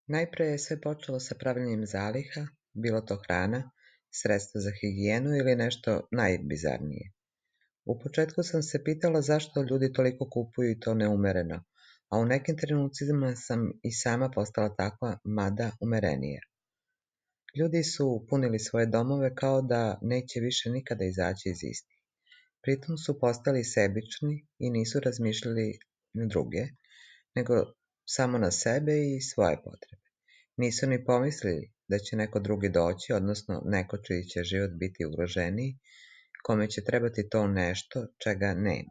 Najpre je sve počelo sa pravljenjem zaliha, bilo to hrana, sredstva za higijenu ili nešto najbizarnije. U početku sam se pitala zašto ljudi toliko kupuju i to neumereno, a u nekim trenucima sam i sama postala takva, mada umerenija. Ljudi su punili svoje domove kao da neće više nikada izaći iz istih. Pritom su postali sebični i nisu razmišljali na druge, nego samo na sebe i svoje potrebe. Nisu ni pomislili da će neko drugi doći, odnosno neko čiji će život biti ugroženiji, kome će trebati to nešto čega nema.